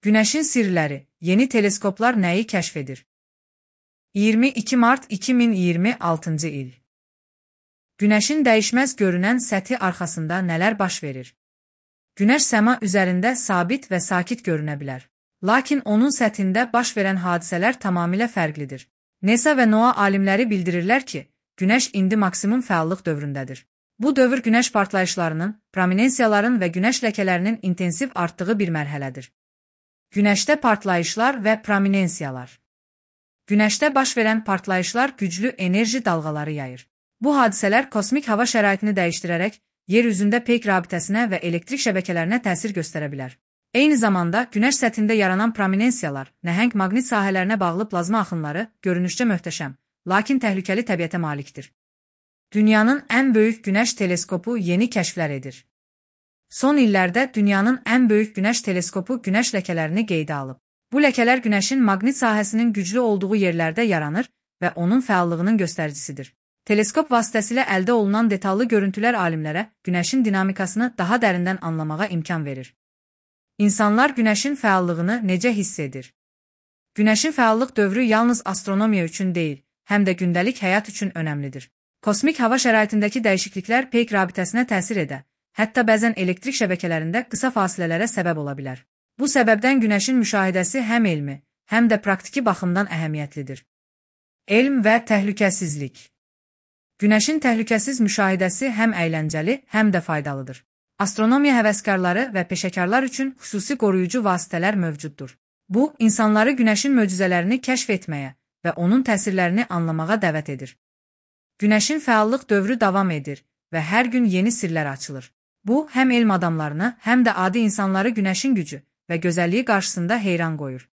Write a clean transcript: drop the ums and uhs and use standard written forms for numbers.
Günəşin sirləri, yeni teleskoplar nəyi kəşf edir? 22 mart 2026-cı il. Günəşin dəyişməz görünən səthi arxasında nələr baş verir? Günəş səma üzərində sabit və sakit görünə bilər. Lakin onun səthində baş verən hadisələr tamamilə fərqlidir. NASA və NOAA alimləri bildirirlər ki, Günəş indi maksimum fəallıq dövründədir. Bu dövr günəş partlayışlarının, prominensiyaların və günəş ləkələrinin intensiv artdığı bir mərhələdir. Günəşdə partlayışlar və prominensiyalar. Günəşdə baş verən partlayışlar güclü enerji dalğaları yayır. Bu hadisələr kosmik hava şəraitini dəyişdirərək yer üzündə peyk rabitəsinə və elektrik şəbəkələrinə təsir göstərə bilər. Eyni zamanda günəş səthində yaranan prominensiyalar, nəhəng maqnit sahələrinə bağlı plazma axınları görünüşcə möhtəşəm, lakin təhlükəli təbiətə malikdir. Dünyanın ən böyük günəş teleskopu yeni kəşflər edir. Son illərdə dünyanın ən böyük günəş teleskopu günəş ləkələrini qeydə alıb. Bu ləkələr günəşin maqnit sahəsinin güclü olduğu yerlərdə yaranır və onun fəallığının göstəricisidir. Teleskop vasitəsilə əldə olunan detallı görüntülər alimlərə günəşin dinamikasını daha dərindən anlamağa imkan verir. İnsanlar günəşin fəallığını necə hiss edir? Günəşin fəallıq dövrü yalnız astronomiya üçün deyil, həm də gündəlik həyat üçün önəmlidir. Kosmik hava şəraitindəki dəyişikliklər peyk rabitəsinə təsir edə, hətta bəzən elektrik şəbəkələrində qısa fasilələrə səbəb ola bilər. Bu səbəbdən günəşin müşahidəsi həm elmi, həm də praktiki baxımdan əhəmiyyətlidir. Elm və təhlükəsizlik. Günəşin təhlükəsiz müşahidəsi həm əyləncəli, həm də faydalıdır. Astronomiya həvəskarları və peşəkarlar üçün xüsusi qoruyucu vasitələr mövcuddur. Bu, insanları günəşin möcüzələrini kəşf etməyə və onun təsirlərini anlamağa dəvət edir. Günəşin fəallıq dövrü davam edir və hər gün yeni sirlər açılır. Bu, həm elm adamlarını, həm də adi insanları günəşin gücü və gözəlliyi qarşısında heyran qoyur.